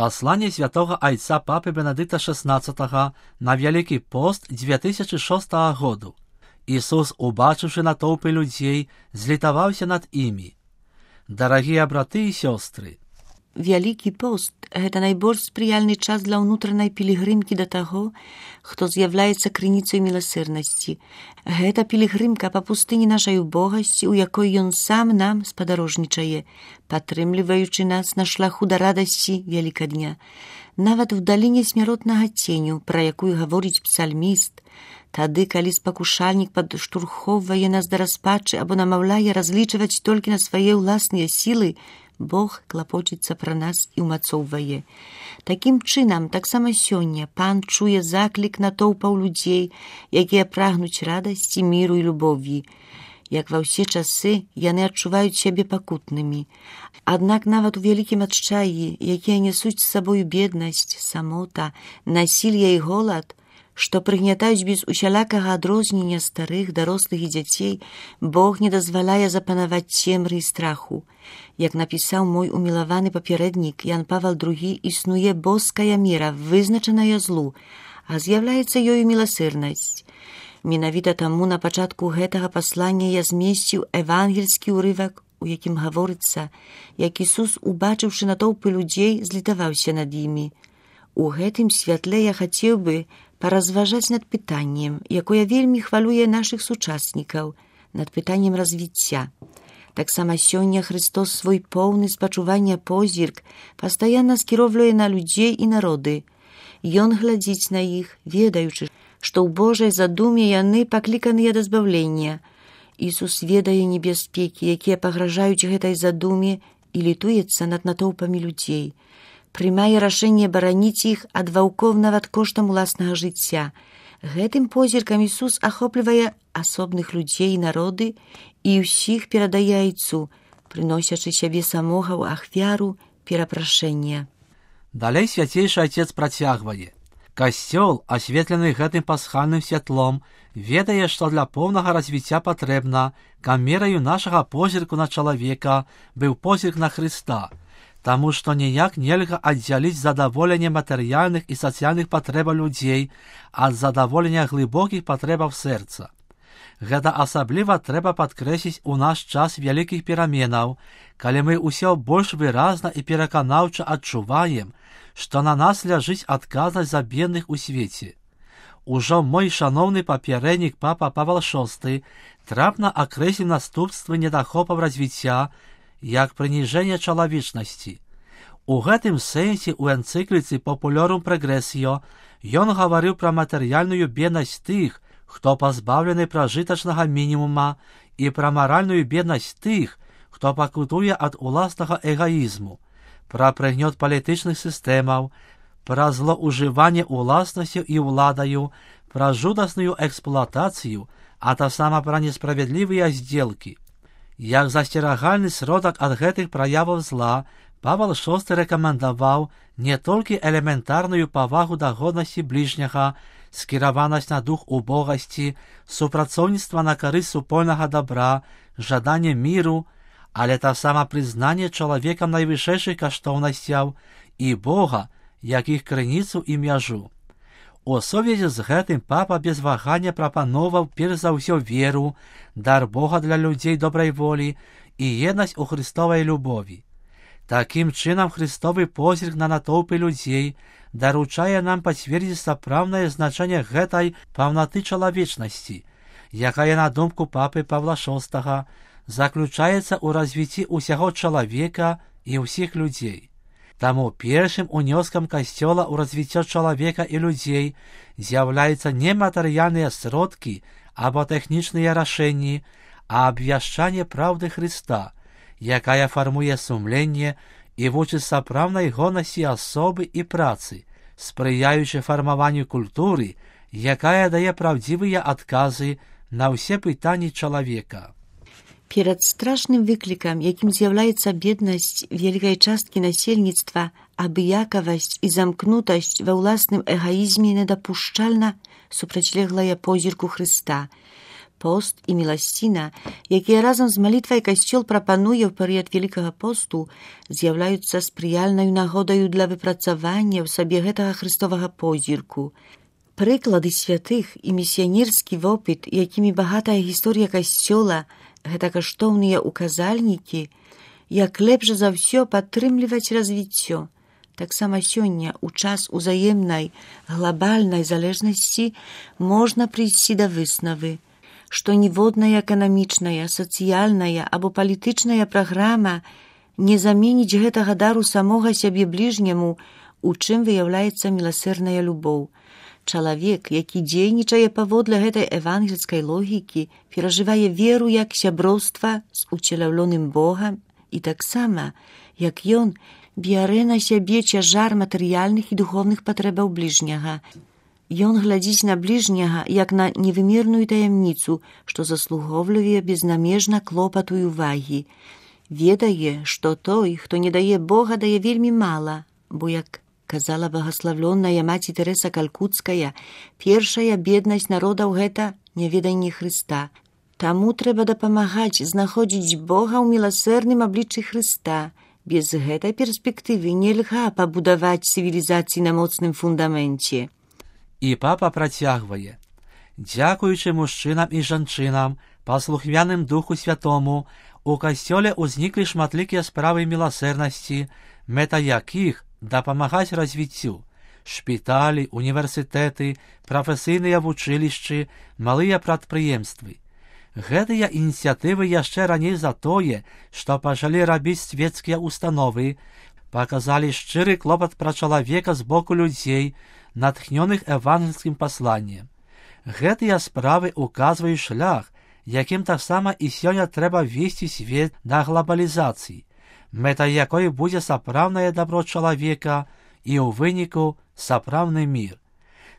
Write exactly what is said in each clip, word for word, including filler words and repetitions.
Послание святого отца Папы Бенедикта шестнадцатого на Великий пост две тысячи шостого году. Ісус, убачивши натовпи людей, злітавався над імі. Дарагія браты і сёстры, Вялікі пост – гэта найбольш спрыяльны час для ўнутранай пілігрымкі да таго, хто з'яўляецца крыніцай міласэрнасці. Гэта пілігрымка па пустыні нашай убогасці, у якой ён сам нам спадарожнічае, падтрымліваючы нас на шляху да радасці вялікадня. Нават у даліне смяротнага ценю, пра якую гаворыць псальміст, тады, калі спакушальнік падштурхоўвае нас да распачы або намаўляе разлічваць толькі на свае ўласныя сілы, Бог клапочыцца пра нас і ўмацоўвае. Такім чынам, таксама сёння Пан чуе заклік натоўпаў людзей, якія прагнуць радасці, міру і любові. Як ва ўсе часы, яны адчуваюць сябе пакутнымі. Аднак нават у вялікім адчаі, якія нясуць з сабою беднасць, самота, насілле і голад, што прыгнятаюць без усялякага адрознення старых, дарослых і дзяцей, Бог не дазваляе запанаваць цемры і страху. Як напісаў мой умілаваны папярэднік Ян Павел другі, існуе боская мера, вызначаная злу, а з'яўляецца ёю міласэрнасць. Менавіта таму на пачатку гэтага паслання я змесціў евангельскі ўрывак, у якім гаворыцца, як Ісус, убачыўшы натоўпы людзей, злітаваўся над імі. У гэтым святле я хацеў бы паразважаць над пытаннем, якое вельмі хвалюе нашых сучаснікаў, над пытаннем развіцця. Таксама сёння Христос свой поўны спачування позірк пастаянна скіроўвае на людзей і народы. Ён глядзіць на іх, ведаючы, што ў Божай задуме яны пакліканыя да збавлення. Ісус ведае небяспекі, якія пагражаюць гэтай задуме, і літуецца над натоўпамі людзей. Прымае рашэнне бараніць іх ад ваўкоў нават коштам уласнага жыцця. Гэтым позіркам Ісус ахоплівае асобных людзей і народы і ўсіх перадае айцу, прыносячы сябе самога ў ахвяру перапрашэння. Далей свяцейшы Отец працягвае. Касцёл, асветлены гэтым пасхальным святлом, ведае, што для поўнага развіцця патрэбна, каб мераю нашага позірку на чалавека быў позірк на Хрыста, таму што ніяк нельга аддзяліць задаволенне матэрыяльных і сацыяльных патрэбаў людзей ад задаволення глыбокіх патрэбаў сэрца. Гэта асабліва трэба падкрэсліць у наш час вялікіх пераменаў, калі мы ўсё больш выразна і пераканаўча адчуваем, што на нас ляжыць адказнасць за бедных у свеце. Ужо мой шаноўны папярэднік папа Павел шосты трапна акрэсліў наступствы недахопаў развіцця як прыніжэнне чалавечнасці. У гэтым сэнсе ў энцыкліцы «Популярум Прогрессио» ён гаварыў пра матэрыяльную беднасць тых, хто пазбаўлены пражытачнага мінімума, і пра маральную беднасць тых, хто пакутуе ад уласнага эгаізму, пра прыгнёт палітычных сістэмаў, пра злоўжыванне уласнасцю і ўладаю, пра жудасную эксплуатацыю, а таксама пра несправядлівыя здзелкі. Як засцерагальны сродак ад гэтых праяваў зла, Павел шосты рэкамендаваў не толькі элементарную павагу да годнасці бліжняга, скіраванасць на дух убогасці, супрацоўніцтва на карысць супольнага добра, жаданне міру, але таксама прызнанне чалавекам найвышэйшых каштоўнасцяў і Бога, як іх крыніцу і мяжу. У сувязі з гэтым папа без вагання прапановаў перш за ўсё веру, дар Бога для людзей добрай волі і еднасць у Христовай любові. Такім чынам Христовы позірк на натоўпы людзей даручае нам пацвердзіць сапраўднае значэнне гэтай паўнаты чалавечнасці, якая, на думку папы Павла шостага, заключаецца ў развіцці ўсяго чалавека і ўсіх людзей. Таму першым унёскам Касцёла ў развіццё чалавека і людзей з'яўляюцца не матэрыяльныя сродкі або тэхнічныя рашэнні, а абвяшчанне праўды Хрыста, якая фармуе сумленне і вучыць сапраўднай годнасці асобы і працы, спрыяючы фармаванню культуры, якая дае праўдзівыя адказы на ўсе пытанні чалавека. Перад страшным выклікам, якім з'яўляецца беднасць вялікай часткі насельніцтва, абыякавасць і замкнутасць ва ўласным эгаізме недапушчальна супрацьлеглая позірку Хрыста. Пост і міласціна, якія разам з малітвай Касцёл прапануе ў перыяд Вялікага посту, з'яўляюцца спрыяльнаю нагодаю для выпрацавання ў сабе гэтага хрыстовага позірку. Прыклады святых і місіянерскі вопыт, якімі багатая гісторыя Касцёла, гэта каштоўныя указальнікі, як лепш за ўсё падтрымліваць развіццё. Таксама сёння, у час узаемнай глобальнай залежнасці, можна прыйсці да выснавы, што ніводная эканамічная, сацыяльная або палітычная праграма не заменіць гэтага дару самога сябе бліжняму, у чым выяўляецца міласэрная любоў. Чалавек, які дзейнічае паводле гэтай евангельскай логікі, перажывае веру як сяброўства з уцелаўленым Богам і таксама, як ён бярэ на сябе цяжар матэрыяльных і духовных патрэбаў бліжняга. Ён глядзіць на бліжняга як на невымерную таямніцу, што заслугоўлюе безнамежна клопату і увагі. Ведае, што той, хто не дае Бога, дае вельмі мала, бо, як казала багаславлёная маці Тэрэса Калкуцкая, першая беднасць народаў гэта няведанне Хрыста. Таму трэба дапамагаць знаходзіць Бога ў міласэрным абліччы Хрыста. Без гэтай перспектывы нельга пабудаваць цывілізацыі на моцным фундаменце. І папа працягвае. Дзякуючы мужчынам і жанчынам, паслухмяным Духу Святому, у Касцёле ўзніклі шматлікія справы міласэрнасці, мэта якіх дапамагаць развіццю. Шпіталі, універсітэты, прафесійныя вучылішчы, малыя прадпрыемствы. Гэтыя ініцыятывы яшчэ раней за тое, што пачалі рабіць свецкія установы, паказалі шчыры клопат пра чалавека з боку людзей, натхнёных евангельскім пасланнем. Гэтыя справы указваюць шлях, якім таксама і сёння трэба весці свет да глобалізацыі, мэтай якой будзе сапраўднае дабро чалавека і ў выніку сапраўдны мір.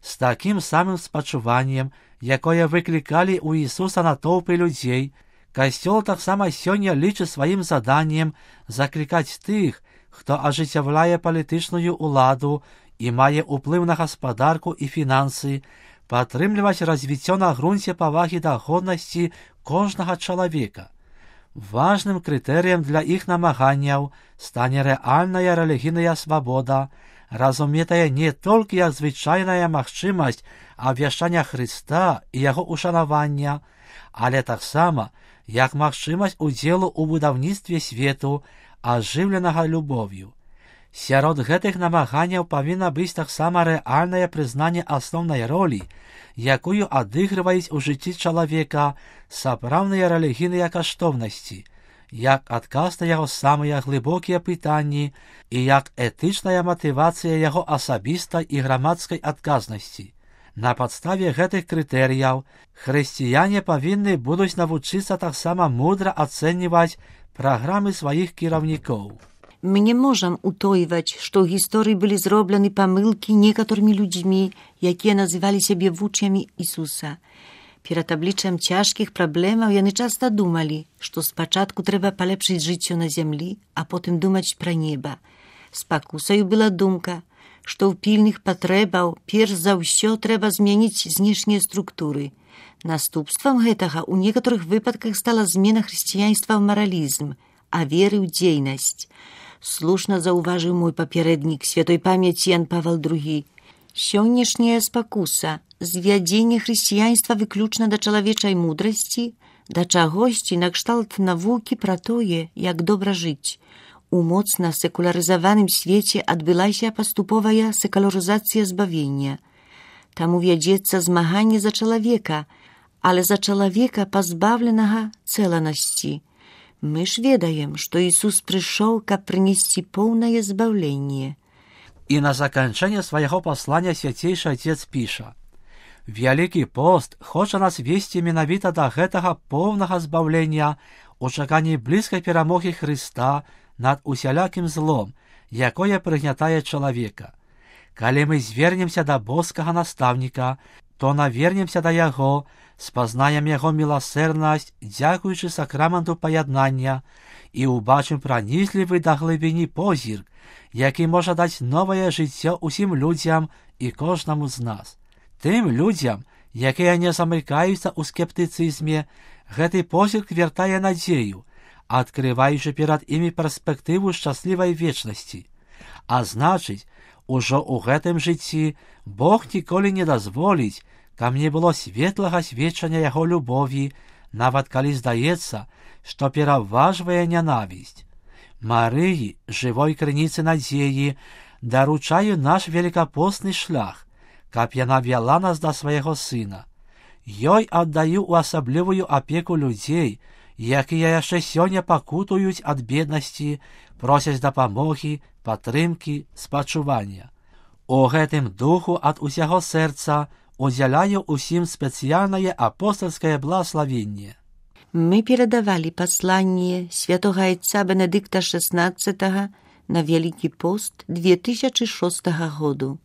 З такім самым спачуваннем, якое выклікалі ў Ісуса натоўпы людзей, Касцёл таксама сёння лічыць сваім заданнем заклікаць тых, хто ажыццяўляе палітычную ўладу і мае ўплыў на гаспадарку і фінансы, падтрымліваць развіццё на грунце павагі да годнасці кожнага чалавека. Важным крытэрыем для іх намаганняў стане рэальная рэлігійная свабода, разуметая не толькі як звычайная магчымасць абвяшчання Хрыста і яго ушанавання, але таксама як магчымасць удзелу ў будаўніцтве свету, ажыўленага любоўю. Сярод гэтых намаганняў павінна быць таксама рэальнае прызнанне асноўнай ролі, якую адыгрываюць у жыцці чалавека сапраўдныя рэлігійныя каштоўнасці, як адказ на яго самыя глыбокія пытанні і як этычная матывацыя яго асабістай і грамадскай адказнасці. На падставе гэтых крытэрыяў хрысціяне павінны будуць навучыцца таксама мудра ацэньваць праграмы сваіх кіраўнікоў. Мы не можам утойваць, што ў гісторыі былі зроблены памылкі некаторымі людзьмі, якія называлі сябе вучнямі Ісуса. Перад абліччам цяжкіх праблемаў яны часта думалі, што спачатку трэба палепшыць жыццё на зямлі, а потым думаць пра неба. Спакусаю была думка, што ў пільных патрэбаў перш за ўсё трэба змяніць знешнія структуры. Наступствам гэтага ў некаторых выпадках стала змена хрысціянства ў маралізм, а веры ў дзейнасць. Слушна заўважыў мой папярэднік святой памяці Ян Павел другі. Сённяшняя спакуса, звядзенне хрысціянства выключна да чалавечай мудрасці, да чагосьці накшталт навукі пра тое, як добра жыць. У моцна секулярызаваным свеце адбылася паступовая секулярызацыя збавення. Таму вядзецца змаганне за чалавека, але за чалавека пазбаўленага цэланасці. Мы ж ведаем, што Ісус прыйшоў, каб прынесці поўнае збаўленне. І на заканчэнне свайго паслання свяцейшы Отец піша: «Вялікі пост хоча нас весці менавіта да гэтага поўнага збаўлення у чаканні блізкай перамогі Хрыста над усялякім злом, якое прыгнятае чалавека. Калі мы звернемся да боскага настаўніка, то навернемся да яго, спазнаем яго міласэрнасць, дзякуючы сакраменту паяднання, і ўбачым пранізлівы да глыбіні позірк, які можа даць новае жыццё ўсім людзям і кожнаму з нас. Тым людзям, якія не замыкаюцца ў скептыцызме, гэты позірк вяртае надзею, адкрываючы перад імі перспектыву шчаслівай вечнасці. А значыць, ужо ў гэтым жыцці Бог ніколі не дазволіць, каб не было светлага сведчання яго любові, нават калі здаецца, што пераважвае нянавісць. Марыі, жывой крыніцы надзеі, даручаю наш великапостны шлях, каб яна вяла нас да свайго сына. Ёй аддаю ў асаблівую апеку людзей, якія яшчэ сёння пакутуюць ад беднасці, просяць дапамогі, падтрымкі, спачування. У гэтым духу ад усяго сэрца удзяляю усім спецыяльнае апостольскае благословенне. Мы перадавалі пасланне святога айца Бенедыкта шестнадцатого на Великий пост две тысячи шестого году.